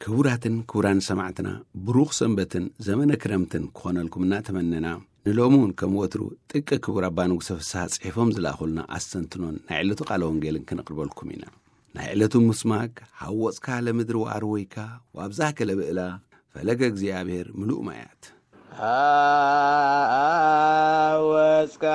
ክቡራትን ክቡራን ሰማዕትና፣ ብሩኽ ሰንበትን ዘመነ ክረምትን ክኾነልኩም እናተመነና፣ ንሎሚ እውን ከም ወትሩ ጥቀ ክቡር ኣባ ንጉሰ ፍስሃ ጽሒፎም ዝለኣኹልና ኣስተንትኖን ናይ ዕለቱ ቃለ ወንጌልን ክነቕርበልኩም ኢና። ናይ ዕለቱ ምስማክ፣ ሃወጽካ ለምድሪ ወኣርወይካ፣ ወኣብዛከ ለብእላ፣ ፈለገ እግዚኣብሔር ምሉእ ማያት። ኣወጽካ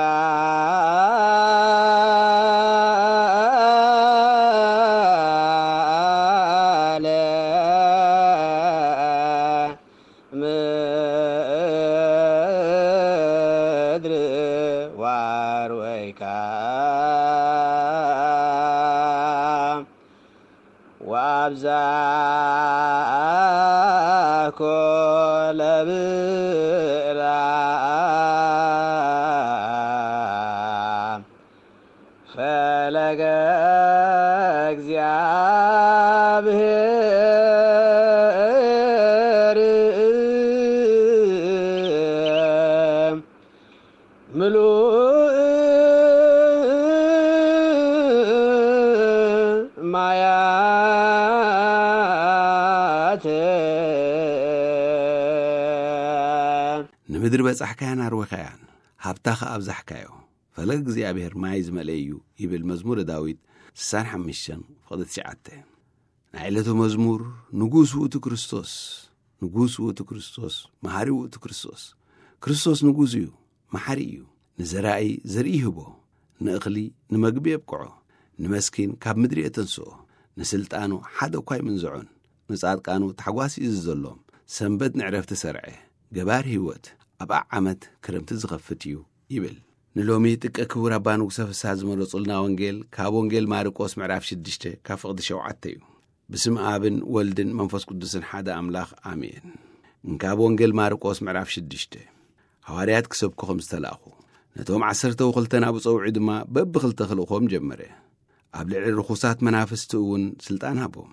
ለምድሪ ዋርወይካ ወኣብዛኮ ለብእላ ፈለገ እግዚኣብሔር ምሉእ ማያት። ንምድሪ በጻሕካያን ኣርወኻያን፣ ሃብታ ኸኣ ኣብዛሕካዮ። ፈለግ እግዚኣብሔር ማይ ዝመልአ እዩ፣ ይብል መዝሙረ ዳዊት ስሳን ሓሙሽተን ፍቕዲ ትሽዓተ። ናይ ዕለቱ መዝሙር፣ ንጉስ ውእቱ ክርስቶስ፣ ንጉስ ውእቱ ክርስቶስ፣ መሓሪ ውእቱ ክርስቶስ። ክርስቶስ ንጉስ እዩ፣ መሓሪ እዩ። ንዘራኢ ዘርኢ ይህቦ፣ ንእኽሊ ንመግቢ የብቅዖ፣ ንመስኪን ካብ ምድሪ የተንስኦ፣ ንስልጣኑ ሓደ እኳ ኣይምንዝዖን፣ ንጻድቃኑ ታሕጓስ እዩ ዝዘሎም። ሰንበት ንዕረፍቲ ሰርዐ፣ ገባር ህይወት፣ ኣብኣ ዓመት ክረምቲ ዝኸፍት እዩ፣ ይብል። ንሎሚ ጥቀ ክቡር ኣባ ንጉሰ ፍስሃ ዝመረጹልና ወንጌል ካብ ወንጌል ማርቆስ ምዕራፍ ሽዱሽተ ካብ ፍቕዲ ሸውዓተ እዩ። ብስም ኣብን ወልድን መንፈስ ቅዱስን ሓደ ኣምላኽ ኣሜን። እንካብ ወንጌል ማርቆስ ምዕራፍ ሽዱሽተ። ሃዋርያት ክሰብኩ ከም ዝተላእኹ፣ ነቶም ዓሰርተ ወክልተ ናብኡ ጸውዑ ድማ በብኽልተ ክልእኾም ጀመረ። ኣብ ልዕሊ ርኹሳት መናፍስቲ እውን ስልጣን ሃቦም።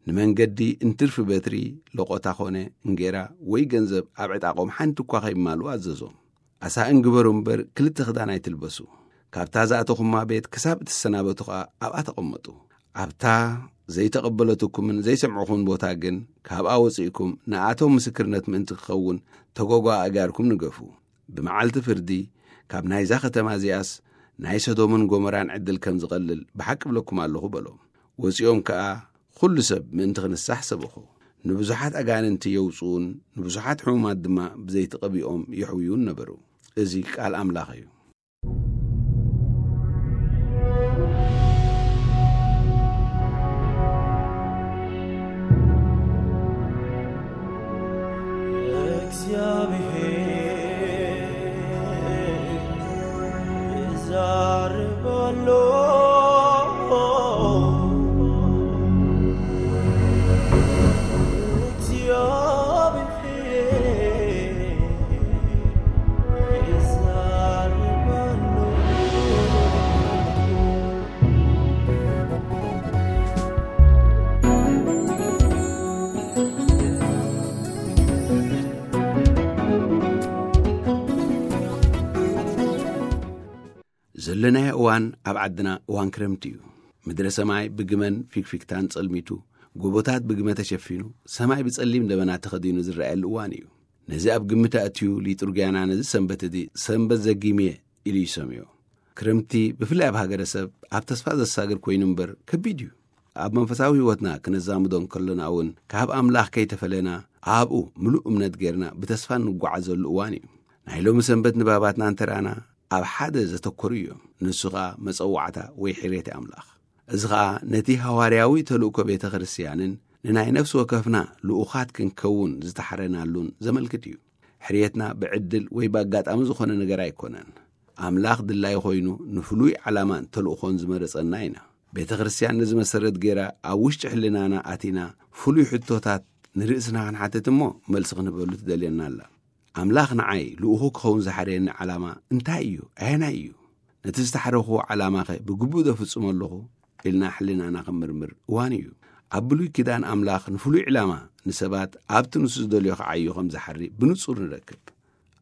ንመንገዲ እንትርፊ በትሪ፣ ለቖታ ኾነ እንጌራ ወይ ገንዘብ ኣብ ዕጣቖም ሓንቲ እኳ ከይማልኡ ኣዘዞም። ኣሳእን ግበሩ እምበር ክልተ ክዳን ኣይትልበሱ። ካብታ ዝኣተኹማ ቤት ክሳብ እትሰናበቱ ኸኣ ኣብኣ ተቐመጡ። ኣብታ ዘይተቐበለትኩምን ዘይሰምዕኹምን ቦታ ግን ካብኣ ወጺእኩም ንኣቶም ምስክርነት ምእንቲ ክኸውን ተጓጓ ኣእጋርኩም ንገፉ። ብመዓልቲ ፍርዲ ካብ ናይዛ ከተማ እዚኣስ ናይ ሰዶምን ጎመራን ዕድል ከም ዝቐልል ብሓቂ እብለኩም ኣለኹ በሎም። ወጺኦም ከኣ ኩሉ ሰብ ምእንቲ ክንሳሕ ሰበኹ። ንብዙሓት ኣጋንንቲ የውጽኡን ንብዙሓት ሕሙማት ድማ ብዘይቲ ቀቢኦም የሕውዩን ነበሩ። እዚ ቃል ኣምላኽ እዩ። እግዚኣብሔር ይዛረብ ኣሎ። ዘለናዮ እዋን ኣብ ዓድና እዋን ክረምቲ እዩ። ምድረ ሰማይ ብግመን ፊክፊክታን ጸልሚቱ፣ ጎቦታት ብግመ ተሸፊኑ፣ ሰማይ ብጸሊም ደበና ተኸዲኑ ዝረኣየሉ እዋን እዩ። ነዚ ኣብ ግምት ኣእትዩ ሊጡርጊያና ነዚ ሰንበት እዚ ሰንበት ዘጊምየ ኢሉ ይሰምዮ። ክረምቲ ብፍላይ ኣብ ሃገረሰብ ኣብ ተስፋ ዘሳግር ኮይኑ እምበር ከቢድ እዩ። ኣብ መንፈሳዊ ህይወትና ክነዛምዶ እንከሎና እውን ካብ ኣምላኽ ከይተፈለና ኣብኡ ምሉእ እምነት ጌርና ብተስፋ እንጓዓዘሉ እዋን እዩ። ናይ ሎሚ ሰንበት ንባባትና እንተረኣና ኣብ ሓደ ዘተኮሩ እዮም። ንሱ ኸኣ መጸዋዕታ ወይ ሕርየት ኣምላኽ። እዚ ኸኣ ነቲ ሃዋርያዊ ተልእኮ ቤተ ክርስቲያንን ንናይ ነፍሲ ወከፍና ልኡኻት ክንከውን ዝተሓረናሉን ዘመልክት እዩ። ሕርየትና ብዕድል ወይ ብኣጋጣሚ ዝኾነ ነገር ኣይኮነን። ኣምላኽ ድላይ ኮይኑ ንፍሉይ ዓላማን ተልእኾን ዝመረጸና ኢና። ቤተ ክርስቲያን ነዚ መሰረት ገይራ ኣብ ውሽጢ ሕልናና ኣቲና ፍሉይ ሕቶታት ንርእስና ክንሓትት እሞ መልሲ ክንህበሉ ትደልየና ኣላ። ኣምላኽ ንዓይ ልኡኹ ክኸውን ዝሓረየኒ ዓላማ እንታይ እዩ? ኣየናይ እዩ? ነቲ ዝተሓረኽዎ ዓላማኸ ብግቡእ ዘፍጽሞ ኣለኹ? ኢልና ሕልናና ክንምርምር እዋን እዩ። ኣብ ብሉይ ኪዳን ኣምላኽ ንፍሉይ ዕላማ ንሰባት ኣብቲ ንሱ ዝደልዮ ክዓዩ ከም ዝሓሪ ብንጹር ንረክብ።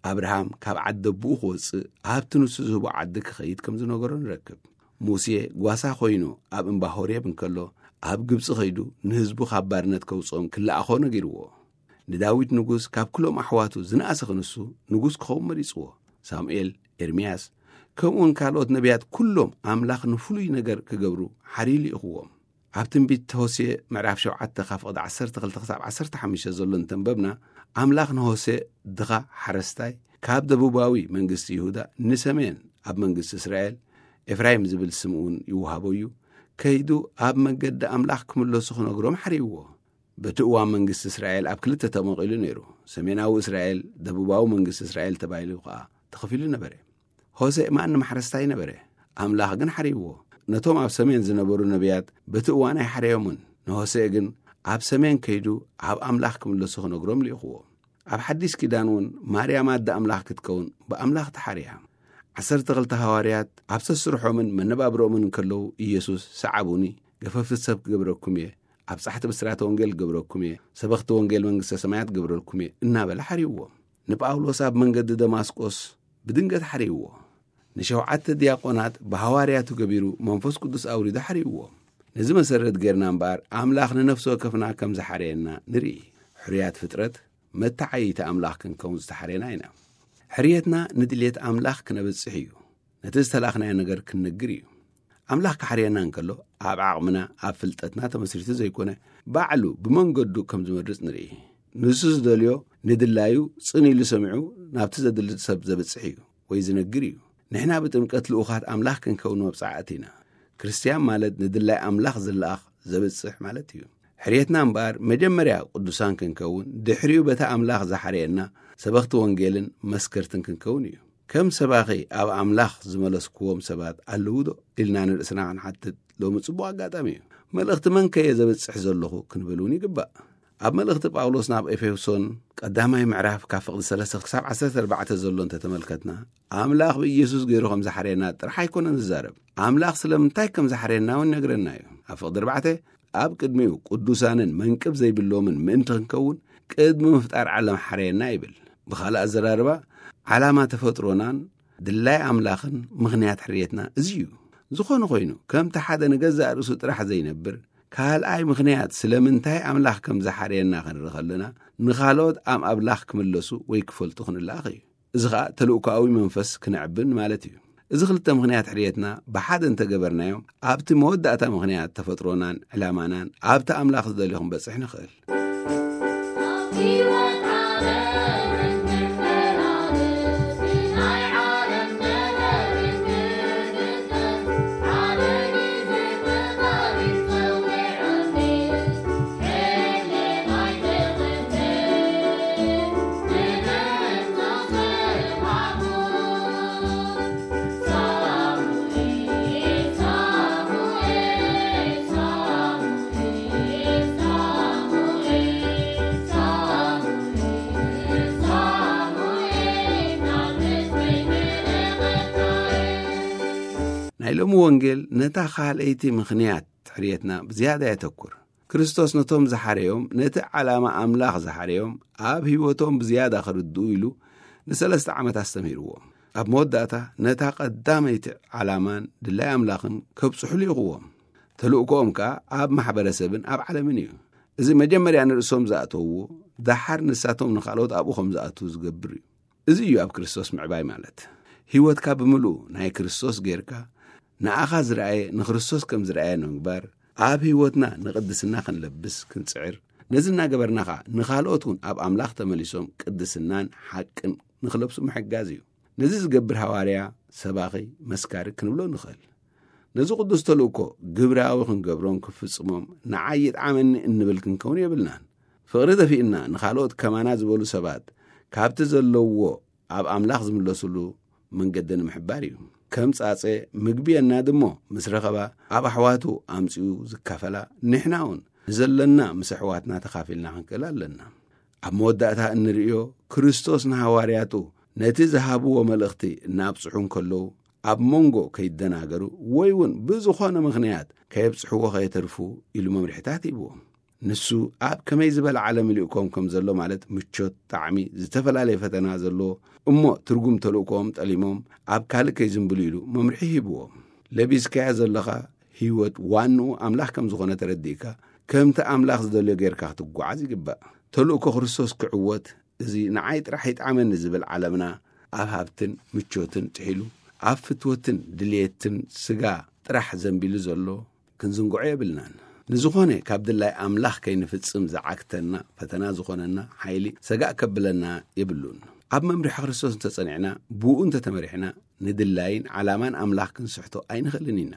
ኣብርሃም ካብ ዓዲ ኣቦኡ ክወጽእ ኣብቲ ንሱ ዝህቦ ዓዲ ክኸይድ ከም ዝነገሮ ንረክብ። ሙሴ ጓሳ ኮይኑ ኣብ እምባ ሆሬብ እንከሎ ኣብ ግብጺ ኸይዱ ንህዝቡ ካብ ባርነት ከውጽኦም ክለኣኾ ነጊርዎ። ንዳዊት ንጉስ ካብ ኩሎም ኣሕዋቱ ዝነኣሰ ክንሱ ንጉስ ክኸውን መሪጽዎ። ሳሙኤል፣ ኤርምያስ፣ ከምኡውን ካልኦት ነቢያት ኩሎም ኣምላኽ ንፍሉይ ነገር ክገብሩ ሓርዩ ልኢኽዎም። ኣብ ትንቢት ሆሴዕ ምዕራፍ ሸውዓተ ካብ ፍቕዲ ዓሰርተ ክልተ ክሳብ ዓሰርተ ሓሙሽተ ዘሎ እንተንበብና፣ ኣምላኽ ንሆሴዕ ድኻ ሓረስታይ ካብ ደቡባዊ መንግስቲ ይሁዳ ንሰሜን ኣብ መንግስቲ እስራኤል፣ ኤፍራይም ዝብል ስም እውን ይወሃቦ እዩ፣ ከይዱ ኣብ መገዲ ኣምላኽ ክምለሱ ክነግሮም ሓርይዎ። በቲ እዋን መንግስቲ እስራኤል ኣብ ክልተ ተመቒሉ ነይሩ። ሰሜናዊ እስራኤል፣ ደቡባዊ መንግስቲ እስራኤል ተባሂሉ ከኣ ተኸፊሉ ነበረ። ሆሴዕ ማንም ሓረስታይ ነበረ። ኣምላኽ ግን ሓርይዎ። ነቶም ኣብ ሰሜን ዝነበሩ ነቢያት በቲ እዋን ኣይሓረዮምን። ንሆሴዕ ግን ኣብ ሰሜን ከይዱ ኣብ ኣምላኽ ክምለሱ ክነግሮም ልኢኽዎ። ኣብ ሓዲስ ኪዳን እውን ማርያም ኣደ ኣምላኽ ክትከውን ብኣምላኽ ተሓርያ። ዓሰርተ ክልተ ሃዋርያት ኣብ ሰስርሖምን መነባብሮምን እንከለዉ ኢየሱስ ሰዓቡኒ፣ ገፈፍቲ ሰብ ክገብረኩም እየ፣ ኣብ ጻሕቲ ብስራተ ወንጌል ክገብረኩም እየ፣ ሰበኽቲ ወንጌል መንግስተ ሰማያት ክገብረልኩም እየ እናበለ ሓርይዎም። ንጳውሎስ ኣብ መንገዲ ደማስቆስ ብድንገት ሓርይዎ። ንሸውዓተ ዲያቆናት ብሃዋርያቱ ገቢሩ መንፈስ ቅዱስ ኣውሪዱ ሓርይዎም። ነዚ መሰረት ጌርና እምበኣር ኣምላኽ ንነፍሲ ወከፍና ከም ዝሓረየና ንርኢ። ሕርያት ፍጥረት መተዓይይቲ ኣምላኽ ክንከውን ዝተሓረየና ኢና። ሕርየትና ንድልየት ኣምላኽ ክነብጽሕ እዩ። ነቲ ዝተላእኽናዮ ነገር ክንነግር እዩ። ኣምላኽ ክሓርየና እንከሎ ኣብ ዓቕምና፣ ኣብ ፍልጠትና ተመስሪቱ ዘይኮነ፣ ባዕሉ ብመንገዱ ከም ዝመርጽ ንርኢ። ንሱ ዝደልዮ ንድላዩ ጽን ኢሉ ሰሚዑ ናብቲ ዘድሊ ሰብ ዘብጽሕ እዩ ወይ ዝነግር እዩ። ንሕና ብጥምቀት ልኡኻት ኣምላኽ ክንከውን መብጻዕቲ ኢና። ክርስትያን ማለት ንድላይ ኣምላኽ ዝለኣኽ ዘብጽሕ ማለት እዩ። ሕርየትና እምበኣር መጀመርያ ቅዱሳን ክንከውን፣ ድሕሪኡ በታ ኣምላኽ ዝሓረየና ሰበኽቲ ወንጌልን መስከርትን ክንከውን እዩ። ከም ሰባኺ ኣብ ኣምላኽ ዝመለስክዎም ሰባት ኣለዉ ዶ? ኢልና ንርእስና ክንሓትት ሎሚ ጽቡቕ ኣጋጣሚ እዩ። መልእኽቲ መን ከየ ዘብጽሕ ዘለኹ ክንብል እውን ይግባእ። ኣብ መልእኽቲ ጳውሎስ ናብ ኤፌሶን ቀዳማይ ምዕራፍ ካብ ፍቕዲ ሰለስተ ክሳብ ዓሰርተ ኣርባዕተ ዘሎ እንተተመልከትና፣ ኣምላኽ ብኢየሱስ ገይሩ ከም ዝሓረየና ጥራሕ ኣይኮነን ዝዛረብ። ኣምላኽ ስለምንታይ ከም ዝሓረየና እውን ይነግረና እዩ። ኣብ ፍቕዲ ኣርባዕተ፣ ኣብ ቅድሚኡ ቅዱሳንን መንቅብ ዘይብሎምን ምእንቲ ክንከውን ቅድሚ ምፍጣር ዓለም ሓረየና ይብል። ብኻልእ ኣዘራርባ፣ ዓላማ ተፈጥሮናን ድላይ ኣምላኽን ምኽንያት ሕርየትና እዚ እዩ። ዝኾነ ኮይኑ፣ ከምቲ ሓደ ንገዛእ ርእሱ ጥራሕ ዘይነብር፣ ካልኣይ ምኽንያት ስለምንታይ ኣምላኽ ከም ዝሓረየና ክንርኢ ከለና፣ ንኻልኦት ኣብ ኣምላኽ ክምለሱ ወይ ክፈልጡ ክንለኣኽ እዩ። እዚ ኸኣ ተልእኮኣዊ መንፈስ ክነዕብን ማለት እዩ። እዚ ክልተ ምኽንያት ሕርየትና ብሓደ እንተገበርናዮም፣ ኣብቲ መወዳእታ ምኽንያት ተፈጥሮናን ዕላማናን ኣብቲ ኣምላኽ ዝደልዮ ክንበጽሕ ንኽእል። ናይ ሎሚ ወንጌል ነታ ካልኣይቲ ምኽንያት ሕርየትና ብዝያዳ የተኩር። ክርስቶስ ነቶም ዝሓረዮም፣ ነቲ ዓላማ ኣምላኽ ዝሓረዮም ኣብ ህይወቶም ብዝያዳ ክርድኡ ኢሉ ንሰለስተ ዓመት ኣስተምሂርዎም። ኣብ መወዳእታ ነታ ቀዳመይቲ ዓላማን ድላይ ኣምላኽን ከብጽሑ ልኢኽዎም። ተልእኮኦም ከኣ ኣብ ማሕበረሰብን ኣብ ዓለምን እዩ። እዚ መጀመርያ ንርእሶም ዝኣተውዎ፣ ደሓር ንሳቶም ንኻልኦት ኣብኡ ከም ዝኣትዉ ዝገብር እዩ። እዚ እዩ ኣብ ክርስቶስ ምዕባይ ማለት። ህይወትካ ብምልኡ ናይ ክርስቶስ ጌርካ፣ ንኣኻ ዝረኣየ ንክርስቶስ ከም ዝረኣየ ንምግባር፣ ኣብ ህይወትና ንቅድስና ክንለብስ ክንጽዕር፣ ነዚ እናገበርና ኸኣ ንኻልኦት እውን ኣብ ኣምላኽ ተመሊሶም ቅድስናን ሓቅን ንኽለብሱ ምሕጋዝ እዩ። ነዚ ዝገብር ሃዋርያ፣ ሰባኺ፣ መስካሪ ክንብሎ ንኽእል። ነዚ ቅዱስ ተልእኮ ግብራዊ ክንገብሮን ክፍጽሞም ንዓይ ይጥዓመኒ እንብል ክንከውን የብልናን። ፍቕሪ ደፊእና ንኻልኦት ከማና ዝበሉ ሰባት ካብቲ ዘለውዎ ኣብ ኣምላኽ ዝምለሱሉ መንገዲ ንምሕባር እዩ። ከም ጻጸ ምግቢ የናድሞ ምስ ረኸባ ኣብ ኣሕዋቱ ኣምጺኡ ዝካፈላ፣ ንሕና እውን ንዘለና ምስ ኣሕዋትና ተኻፊልና ክንክእል ኣለና። ኣብ መወዳእታ እንርእዮ፣ ክርስቶስ ንሃዋርያቱ ነቲ ዝሃብዎ መልእኽቲ እናብጽሑ እንከለዉ፣ ኣብ መንጎ ከይደናገሩ ወይ እውን ብዝኾነ ምኽንያት ከየብጽሕዎ ከየተርፉ ኢሉ መምርሒታት ሂብዎም። ንሱ ኣብ ከመይ ዝበለ ዓለም ይልእኮም ከም ዘሎ፣ ማለት ምቾት፣ ጣዕሚ፣ ዝተፈላለየ ፈተና ዘለዎ እሞ ትርጉም ተልእኮኦም ጠሊሞም ኣብ ካልእ ከይዝንብሉ ኢሉ መምርሒ ሂብዎም። ለቢስካያ ዘለኻ ህይወት ዋንኡ ኣምላኽ ከም ዝኾነ ተረዲእካ፣ ከምቲ ኣምላኽ ዝደልዮ ጌርካ ክትጓዓዝ ይግባእ። ተልእኮ ክርስቶስ ክዕወት፣ እዚ ንዓይ ጥራሕ ይጥዓመኒ ዝብል ዓለምና፣ ኣብ ሃብትን ምቾትን ጥሒሉ፣ ኣብ ፍትወትን ድልየትን ስጋ ጥራሕ ዘንቢሉ ዘሎ ክንዝንግዖ የብልናን። ንዝኾነ ካብ ድላይ ኣምላኽ ከይንፍጽም ዝዓግተና፣ ፈተና ዝኾነና ሓይሊ ሰጋእ ከብለና የብሉን። ኣብ መምርሒ ክርስቶስ እንተጸኒዕና፣ ብኡ እንተተመሪሕና፣ ንድላይን ዓላማን ኣምላኽ ክንስሕቶ ኣይንኽእልን ኢና።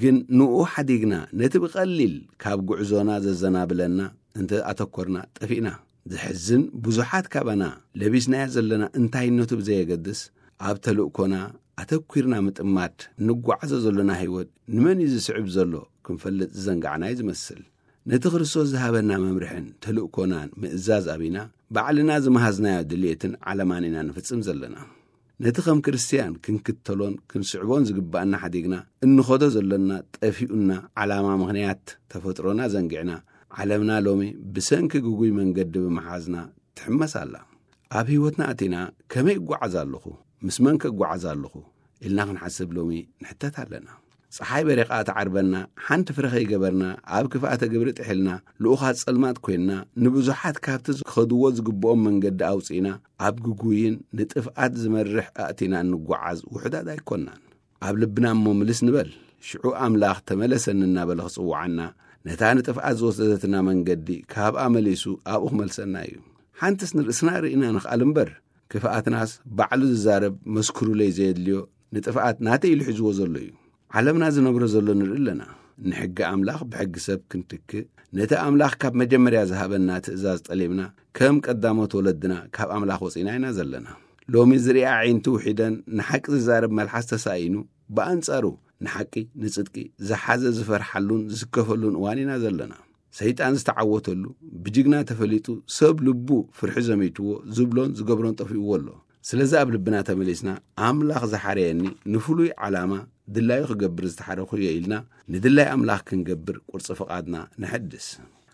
ግን ንኡ ሓዲግና፣ ነቲ ብቐሊል ካብ ጉዕዞና ዘዘናብለና እንተ ኣተኮርና፣ ጠፊእና። ዘሕዝን፣ ብዙሓት ካባና ለቢስናዮ ዘለና እንታይነቱ ብዘየገድስ፣ ኣብ ተልእኮና ኣተኲርና ምጥማድ፣ እንጓዓዞ ዘሎና ህይወት ንመን እዩ ዝስዕብ ዘሎ ክንፈልጥ ዝዘንጋዕና እዩ ዝመስል። ነቲ ክርስቶስ ዝሃበና መምርሕን ተልእኮናን ምእዛዝ ኣቢና፣ ባዕልና ዝመሃዝናዮ ድልየትን ዓለማን ኢና ንፍጽም ዘለና። ነቲ ከም ክርስትያን ክንክተሎን ክንስዕቦን ዝግባኣና ሓዲግና እንኸዶ ዘሎና ጠፊኡና ዓላማ ምኽንያት ተፈጥሮና ዘንጊዕና፣ ዓለምና ሎሚ ብሰንኪ ግጉይ መንገዲ ብምሓዝና ትሕመስ ኣላ። ኣብ ህይወትና ኣቲና ከመይ እጓዓዝ ኣለኹ? ምስ መን ከጓዓዝ ኣለኹ? ኢልና ክንሓስብ ሎሚ ንሕተት ኣለና። ጸሓይ በሪቓ ትዓርበና፣ ሓንቲ ፍረ ከይገበርና፣ ኣብ ክፍኣተ ግብሪ ጥሒልና፣ ልኡኻት ጸልማት ኮይንና፣ ንብዙሓት ካብቲ ዝኸድዎ ዝግብኦም መንገዲ ኣውጺእና፣ ኣብ ግጉይን ንጥፍኣት ዝመርሕ ኣእቲና እንጓዓዝ ውሑዳት ኣይኮናን። ኣብ ልብና እሞ ምልስ ንበል። ሽዑ ኣምላኽ ተመለሰኒ እናበለ ክጽውዓና፣ ነታ ንጥፍኣት ዝወሰደትና መንገዲ ካብኣ መሊሱ ኣብኡ ክመልሰና እዩ። ሓንትስ ንርእስና ርኢና ንኽኣል እምበር፣ ክፍኣትናስ ባዕሉ ዝዛረብ መስክሩለይ ዘየድልዮ ንጥፍኣት ናተይ ኢሉ ሒዝዎ ዘሎ እዩ። ዓለምና ዝነብሮ ዘሎ ንርኢ ኣለና። ንሕጊ ኣምላኽ ብሕጊ ሰብ ክንትክእ፣ ነቲ ኣምላኽ ካብ መጀመርያ ዝሃበና ትእዛዝ ጠሊምና፣ ከም ቀዳሞት ወለድና ካብ ኣምላኽ ወጺና ኢና ዘለና። ሎሚ ዝርኢ ኣዒንቲ ውሒደን ንሓቂ ዝዛረብ መልሓስ ተሳኢኑ፣ ብኣንጻሩ ንሓቂ፣ ንጽድቂ ዝሓዘ ዝፈርሓሉን ዝስከፈሉን እዋን ኢና ዘለና። ሰይጣን ዝተዓወተሉ፣ ብጅግና ተፈሊጡ፣ ሰብ ልቡ ፍርሒ ዘሚትዎ፣ ዝብሎን ዝገብሮን ጠፊእዎ ኣሎ። ስለዚ ኣብ ልብና ተመሊስና፣ ኣምላኽ ዝሓረየኒ ንፍሉይ ዓላማ ድላዩ ክገብር ዝተሓረኹ እየ ኢልና፣ ንድላይ ኣምላኽ ክንገብር ቁርጺ ፍቓድና ነሐድስ።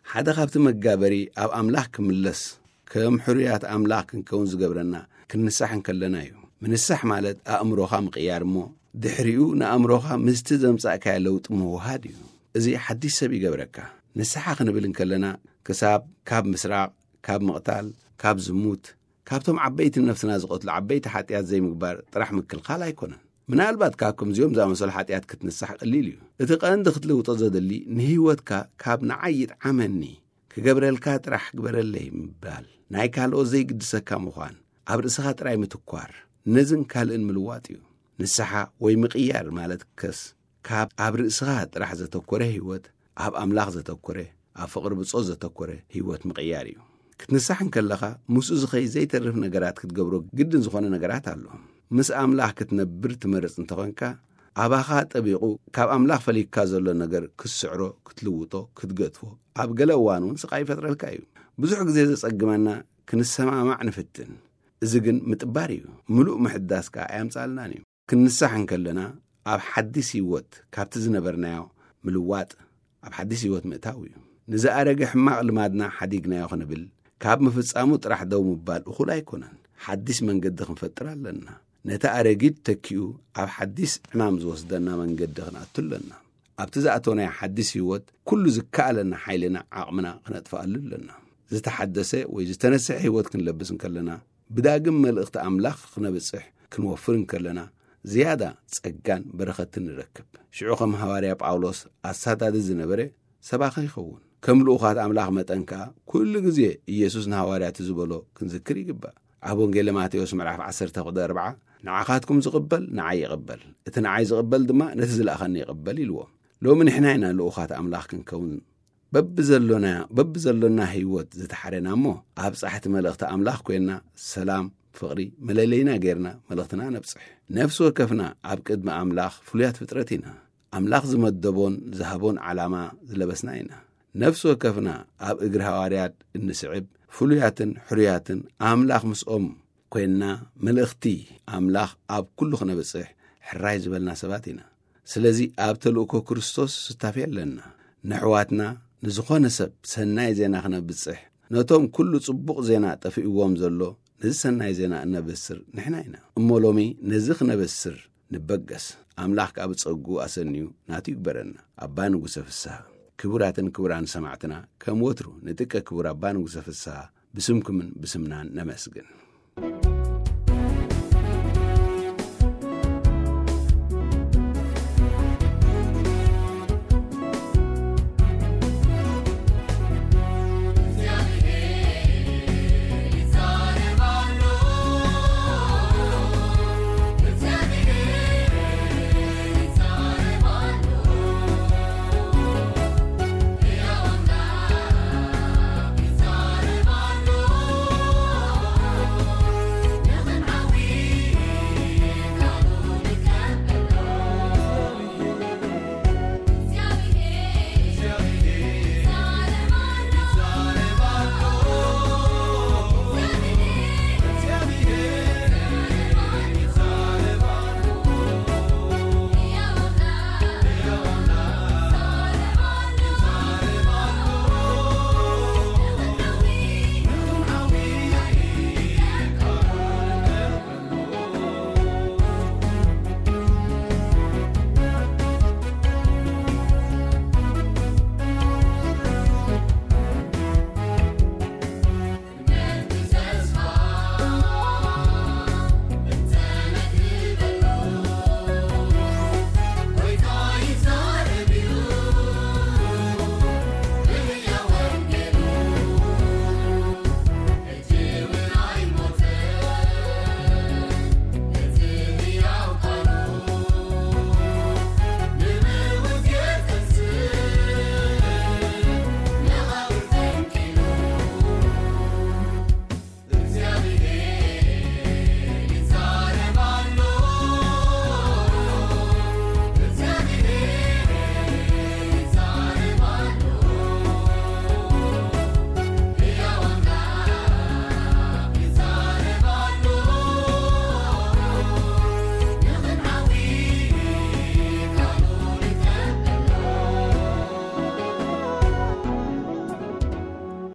ሓደ ካብቲ መጋበሪ ኣብ ኣምላኽ ክምለስ፣ ከም ሕሩያት ኣምላኽ ክንከውን ዝገብረና፣ ክንንሳሕ እንከለና እዩ። ምንሳሕ ማለት ኣእምሮኻ ምቕያር እሞ፣ ድሕሪኡ ንኣእምሮኻ ምስቲ ዘምጻእካዮ ለውጢ ምውሃድ እዩ። እዚ ሓድሽ ሰብ ይገብረካ። ንስሓ ክንብል እንከለና፣ ክሳብ ካብ ምስራቕ፣ ካብ ምቕታል፣ ካብ ዝሙት፣ ካብቶም ዓበይቲ ነፍስና ዝቐትሉ ዓበይቲ ሓጢኣት ዘይምግባር ጥራሕ ምክልኻል ኣይኮነን። ምናልባት ካብ ከምዚኦም ዝኣመሰሉ ሓጢኣት ክትንሳሕ ቀሊል እዩ። እቲ ቀንዲ ክትልውጦ ዘድሊ፣ ንህይወትካ ካብ ንዓይ ይጥዓመኒ፣ ክገብረልካ ጥራሕ ግበረለይ ምባል፣ ናይ ካልኦት ዘይግድሰካ ምዃን፣ ኣብ ርእስኻ ጥራይ ምትኳር፣ ነዝን ካልእን ምልዋጥ እዩ። ንስሓ ወይ ምቕያር ማለት ከስ፣ ካብ ኣብ ርእስኻ ጥራሕ ዘተኮረ ህይወት፣ ኣብ ኣምላኽ ዘተኮረ፣ ኣብ ፍቕሪ ብጾት ዘተኮረ ህይወት ምቕያር እዩ። ክትንሳሕ እንከለኻ፣ ምስኡ ዝኸይ ዘይተርፍ ነገራት ክትገብሮ ግድን ዝኾነ ነገራት ኣሎ። ምስ ኣምላኽ ክትነብር ትመርጽ እንተኾንካ፣ ኣባኻ ጠቢቑ ካብ ኣምላኽ ፈሊካ ዘሎ ነገር ክትስዕሮ፣ ክትልውጦ፣ ክትገድፎ፣ ኣብ ገለ እዋን እውን ስቓይ ይፈጥረልካ እዩ። ብዙሕ ግዜ ዘጸግመና ክንሰማማዕ ንፍትን። እዚ ግን ምጥባር እዩ። ምሉእ ምሕዳስ ከኣ ኣየምጻልናን እዩ። ክንንሳሕ እንከለና፣ ኣብ ሓዲስ ህይወት ካብቲ ዝነበርናዮ ምልዋጥ፣ ኣብ ሓዲስ ህይወት ምእታው እዩ። ንዝኣረገ ሕማቕ ልማድና ሓዲግናዮ ክንብል፣ ካብ ምፍጻሙ ጥራሕ ደው ምባል እኹል ኣይኮነን። ሓዲስ መንገዲ ክንፈጥር ኣለና። ነቲ ኣረጊት ተኪኡ ኣብ ሓዲስ ዕማም ዝወስደና መንገዲ ክንኣቱ ኣለና። ኣብቲ ዝኣተናዮ ሓዲስ ህይወት፣ ኩሉ ዝከኣለና ሓይልና ዓቕምና ክነጥፍኣሉ ኣለና። ዝተሓደሰ ወይ ዝተነስሐ ህይወት ክንለብስ እንከለና፣ ብዳግም መልእኽቲ ኣምላኽ ክነብጽሕ ክንወፍር እንከለና፣ ዝያዳ ጸጋን በረኸትን ንረክብ። ሽዑ ከም ሃዋርያ ጳውሎስ ኣሳዳዲ ዝነበረ ሰባኺ ይኸውን። ከም ልኡኻት ኣምላኽ መጠን ከኣ፣ ኩሉ ግዜ ኢየሱስ ንሃዋርያቱ ዝበሎ ክንዝክር ይግባእ። ኣብ ወንጌል ማቴዎስ ምዕራፍ ዓሰርተ ቁጽሪ ኣርብዓ፣ "ንዓኻትኩም ዝቕበል ንዓይ ይቕበል፣ እቲ ንዓይ ዝቕበል ድማ ነቲ ዝለኣኸኒ ይቕበል" ኢልዎም። ሎሚ ንሕና ኢና ልኡኻት ኣምላኽ ክንከውን በብዘሎና፣ በብዘሎና ህይወት ዝተሓረና እሞ፣ ኣብ ጻሕቲ መልእኽቲ ኣምላኽ ኮይንና፣ ሰላም፣ ፍቕሪ፣ መለለይና ጌርና መልእኽትና ነብጽሕ። ነፍሲ ወከፍና ኣብ ቅድሚ ኣምላኽ ፍሉያት ፍጥረት ኢና። ኣምላኽ ዝመደቦን ዝሃቦን ዓላማ ዝለበስና ኢና። ነፍሲ ወከፍና ኣብ እግሪ ሃዋርያት እንስዕብ፣ ፍሉያትን ሕሩያትን፣ ኣምላኽ ምስኦም ኮይንና፣ መልእኽቲ ኣምላኽ ኣብ ኩሉ ክነብጽሕ ሕራይ ዝበልና ሰባት ኢና። ስለዚ ኣብ ተልእኮ ክርስቶስ ስታፌ ኣለና። ነሕዋትና፣ ንዝኾነ ሰብ ሰናይ ዜና ክነብጽሕ፣ ነቶም ኩሉ ጽቡቕ ዜና ጠፊእዎም ዘሎ፣ ነዚ ሰናይ ዜና እነበስር ንሕና ኢና። እሞ ሎሚ ነዚ ክነበስር ንበገስ። ኣምላኽ ከኣ ብጸጉ ኣሰንዩ ናቱ ይግበረና። ኣባ ንጉሰ ፍስሃ። ክቡራትን ክቡራን ሰማዕትና፣ ከም ወትሩ ንጥቀ ክቡር ኣባ ንጉሰ ፍስሃ ብስምኩምን ብስምናን ነመስግን።